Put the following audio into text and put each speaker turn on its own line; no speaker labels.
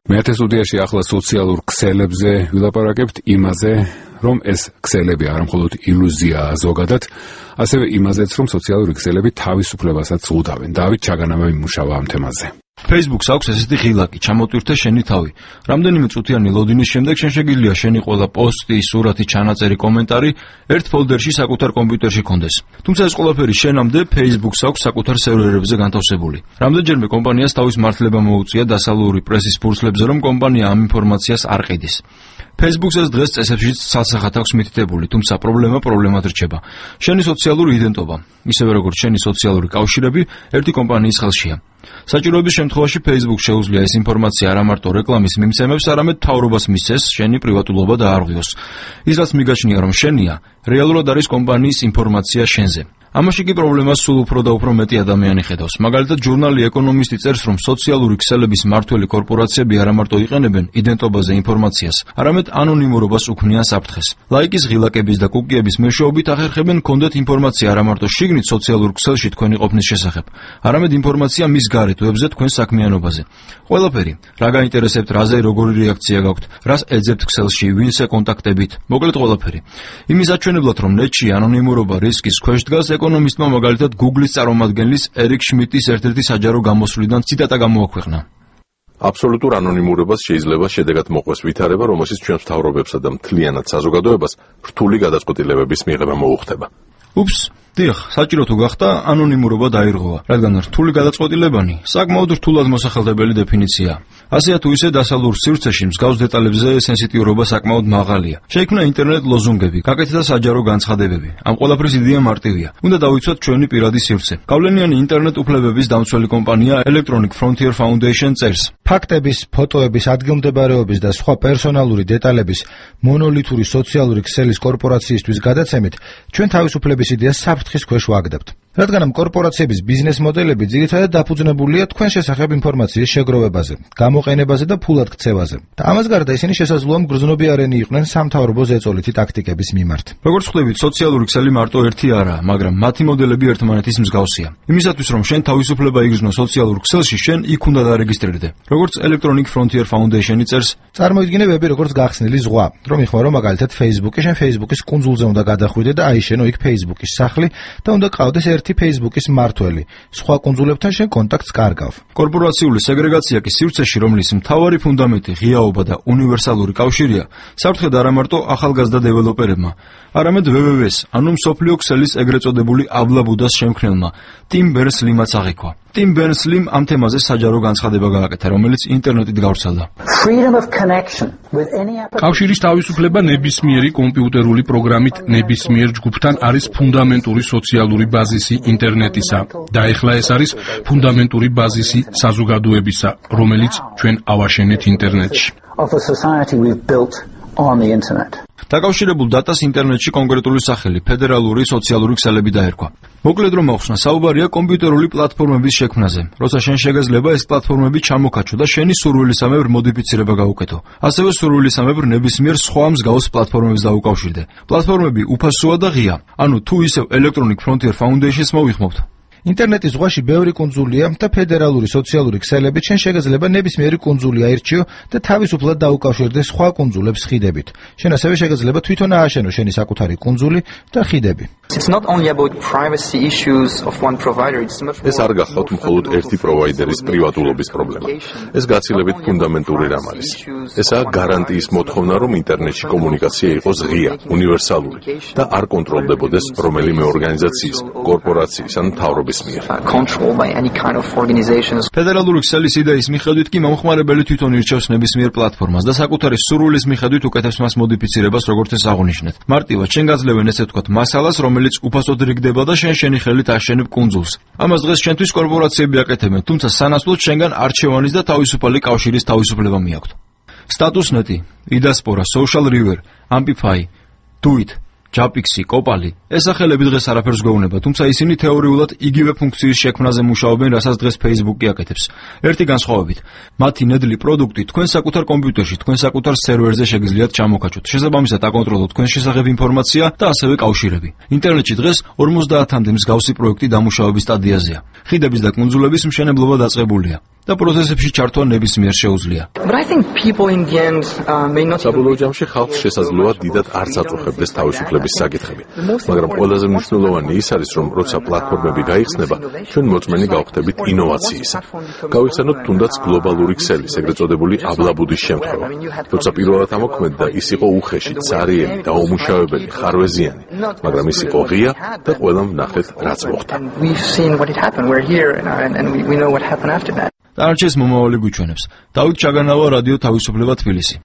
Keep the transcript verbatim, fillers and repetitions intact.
მეათე სტუდიაში ახლა სოციალურ ქსელებზე ვილაპარაკებთ იმაზე, რომ ეს ქსელები არა მხოლოდ ილუზიაა ზოგადად, ასევე იმაზეც, რომ სოციალური ქსელები თავისუფლებასაც უდავენ. დავით ჩაგანავა იმუშავა ამ თემაზე.
Facebook-ს აქვს ესეთი ღილაკი, ჩამოტვირთე შენი თავი. რამდენიმე წუთიანი ლოდინის შემდეგ შენ შეგიძლია შენი ყველა პოსტი, სურათი, ჩანაწერი, კომენტარი ერთ ფოლდერში საკუთარ კომპიუტერში კონდეს. თუმცა ეს ყველაფერი შენამდე Facebook-ს აქვს საკუთარ სერვერებზე განთავსებული. რამდენჯერმე კომპანიას თავის მართლება მოუწია დასავლური პრესის ფურცლებზე, რომ კომპანია ამ ინფორმაციას არ ყიდის. Facebook-ს ეს დღეს წესებშიც ცალსახად აქვს მითითებული, თუმცა პრობლემა პრობლემად რჩება. შენი სოციალური იდენტობა, ისევე როგორც შენი სოციალური კავშირები, ერთი კომპანიის ხელშია. საჭიროების შემთხვევაში Facebook შეუძლია ეს ინფორმაცია არა მარტო რეკლამის მიმცემებს, არამედ მთავრობას მისცეს შენი პრივატულობა დაარღვიოს. ის რაც მიგაჩნია, რომ შენია, რეალურად არის კომპანიის ინფორმაცია შენზე. ამაში კი პრობლემას სულ უფრო და უფრო მეტი ადამიანი ხედავს. მაგალითად, ჟურნალი ეკონომისტი წერს, რომ სოციალური ქსელების მმართველი კორპორაციები არა მარტო იყენებენ იდენტობაზე ინფორმაციას, არამედ ანონიმურობას უქმნიან საფრთხეს. ლაიკის ღილაკების და კუკიების მეშვეობით ახერხებენ გქონდეთ ინფორმაცია არა მარტო შიგნით სოციალურ ქსელში თქვენი ყოფნის შესახებ, არამედ ინფორმაცია მის გარეთ ვებზე თქვენ საქმიანობაზე. ყველაფერი, რა გაინტერესებთ, რაზე როგორი რეაქცია გაქვთ, რას ეძებთ ქსელში, ვინს ეკონტაქტებით, მოკლედ ყველაფერი. იმის აჩვენებლად, რომ ნეტში ანონიმურობა რისკის ქვეშ დგას, ეკონომისტმა მაგალითად Google-ის წარმომადგენლის ერიკ შმიტის ერთ-ერთი საჯარო გამოსვლიდან ციტატა გამოაქვეყნა.
აბსოლუტურ ანონიმურობას შეიძლება შედეგად მოყვეს ვითარება, რომელშიც ჩვენ მთავრობებსა და მთლიანად საზოგადოებას რთული გადაწყვეტილებების მიღება მოუხდება.
უფს, დიახ, საჭირო თუ გახდა, ანონიმურობა დაირღვევა, რადგან რთული გადაწყვეტილებანი საკმაოდ რთულად მოსახელდებელი დეფინიციაა. ასეა თუ ისე დასავლურ სივრცეში მსგავს დეტალებზე სენსიტიურობა საკმაოდ მაღალია. შეიქმნა ინტერნეტ ლოზუნგები, გაკეთდა საჯარო განცხადებები. ამ ყველაფრის იდეა მარტივია. უნდა დავიცვათ ჩვენი პირადი სივრცე. გავლენიანი ინტერნეტ უფლებების დამცველი კომპანია Electronic Frontier Foundation წერს.
ფაქტების, ფოტოების, ადგილმდებარეობის და სხვა პერსონალური დეტალების მონოლითური სოციალური ქსელის კორპორაციისთვის გადაცემით, ჩვენ თავისუფლების იდეას საფრთხის ქვეშ ვაგდებთ. რადგან ამ კორპორაციების ბიზნეს მოდელები ძირითადად დაფუძნებულია თქვენ შესახებ ინფორმაციის შეგროვებაზე, გამოყენებაზე და ფულად ქცევაზე. და ამას გარდა ისინი შესაძლოა მგრძნობიარენი იყვნენ სამთავრობო ზეწოლითი ტაქტიკების მიმართ.
როგორც ხვდებით, სოციალური ქსელი მარტო ერთი არაა, მაგრამ მათი მოდელები ერთმანეთის მსგავსია. იმისათვის, რომ შენ თავისუფლება იგრძნო სოციალურ ქსელში, შენ იქ უნდა დარეგისტრირდე. როგორც Electronic Frontier Foundation-ი წერს,
წარმოიდგინე ვები როგორც გახსნილი ზღვა, რომ იხმარო მაგალითად Facebook-ი, შენ Facebook-ის კუნძულზე უნდა გადახვიდე და აიშენო იქ Facebook-ის სახლი და უნდა ყავდეს ერთი Facebook-ის მმართველი. სხვა კუნძულებთან შენ კონტაქტს კარგავ.
კორპორაციული სეგრეგაცია კი სივრცეში, რომლის მთავარი ფუნდამენტი ღიაობა და უნივერსალური კავშირია, საფრთხედ არა მარტო ახალგაზრდა დეველოპერებმა, არამედ W W W-ს, ანუ მსოფლიო ქსელის ეგრეთ წოდებული აბლაბუდას შემქმნელმა, Tim Berners-Limაც აღიქვა. Tim Berners-Lim ამ თემაზე საჯარო განცხადება გააკეთა, რომელიც ინტერნეტით გავრცელდა.
კავშირის თავისუფლება ნებისმიერი კომპიუტერული პროგრამით ნებისმიერ ჯგუფთან არის ფუნდამენტური სოციალური ბაზისი ინტერნეტისა და ეხლა ეს არის ფუნდამენტური ბაზისი საზოგადოებისა, რომელიც ჩვენ ავაშენეთ ინტერნეტში.
დაკავშირებულ დატას ინტერნეტში კონკრეტული სახელი ფედერალური სოციალური ქსელები დაერქვა. მოკლედ რომ ახსნა, საუბარია კომპიუტერული პლატფორმების შექმნაზე, როცა შენ შეგეძლება ეს პლატფორმები ჩამოქაჩო და შენი სურვილისამებრ მოდიფიცირება გაუკეთო. ასევე სურვილისამებრ ნებისმიერ სხვა მსგავს პლატფორმებს დაუკავშირდე. პლატფორმები უფასოა და ღია. ანუ თუ ისევ Electronic Frontier Foundation-ს მოვიხმობთ.
ინტერნეტის ზღვაში ბევრი კუნძულია და ფედერალური სოციალური ქსელებით შენ შეგეძლება ნებისმიერი კუნძული აირჩიო და თავისუფლად დაუკავშირდე სხვა კუნძულებს ხიდებით. შენ ასევე შეგეძლება თვითონ ააშენო შენი საკუთარი კუნძული და ხიდები.
ეს არ გახავთ მხოლოდ ერთი პროვაიდერის პრივატულობის პრობლემა. ეს გაცილებით ფუნდამენტური რამ არის. ესაა გარანტიის მოთხოვნა, რომ ინტერნეტში კომუნიკაცია იყოს ღია, უნივერსალური და არ კონტროლდებოდეს რომელიმე ორგანიზაციის, კორპორაციის ან მთავრობის
ფედერალური ქსელის იდეის მიხედვით კი მომხმარებელი თვითონ ირჩევს ნებისმიერ პლატფორმას და საკუთარი სურვილის მიხედვით უკეთებს მას მოდიფიცირებას, როგორც ეს აღნიშნეთ. მარტივად შენ გაძლევენ ესე ვთქვათ მასალას, რომელიც უფასოდ რიგდება და შენ შენი ხელით აშენებ კუნძულს. ამას დღეს შენთვის კორპორაციები აკეთებენ, თუმცა სანაცვლოდ შენგან არჩევანის და თავისუფალი კავშირის თავისუფლება მიაქვთ. Status.net, Idaspora, Social River, Amplify, Duit, ჯაპიქსი, კოპალი, ეს სახელები დღეს არაფერს გვეუბნება, თუმცა ისინი თეორიულად იგივე ფუნქციის შექმნაზე მუშაობენ, რასაც დღეს Facebook-ი აკეთებს. ერთი განსხვავებით, მათი ნედლი პროდუქტი თქვენ საკუთარ კომპიუტერში, თქვენ საკუთარ სერვერზე შეგიძლიათ ჩამოქაჩოთ. შესაბამისად, აკონტროლოთ თქვენს შესახებ ინფორმაცია და ასევე კავშირები. ინტერნეტში დღეს ორმოცდაათამდე მსგავსი პროექტი დამუშავების სტადიაზეა. ხიდების და კუნძულების მშენებლობა დაწყებულია. და პროცესებში ჩართვა ნებისმიერ შეუძლია.
საბოლოო ჯამში ხალხს შესაძლოა დიდად არ წაწუხებდეს თავისუფლების საკითხები, მაგრამ ყველაზე მნიშვნელოვანი ის არის, რომ როცა პლატფორმები გაიხსნება, ჩვენ მოწმენი გავხდებით ინოვაციისა. გავიხსენოთ თუნდაც გლობალური ქსელის, ეგრეთ წოდებული აბლაბუდის შემთხვევა. როცა პირველად ამოქმედდა, ის იყო უხეში, цаრიელი, დაუმუშავებელი, ხარვეზიანი, მაგრამ ის იყო ღია და ყველამ ვნახეთ, რაც მოხდა.
დანარჩენს მომავალი გვიჩვენებს. დავით ჩაგანავა, რადიო თავისუფლება თბილისი.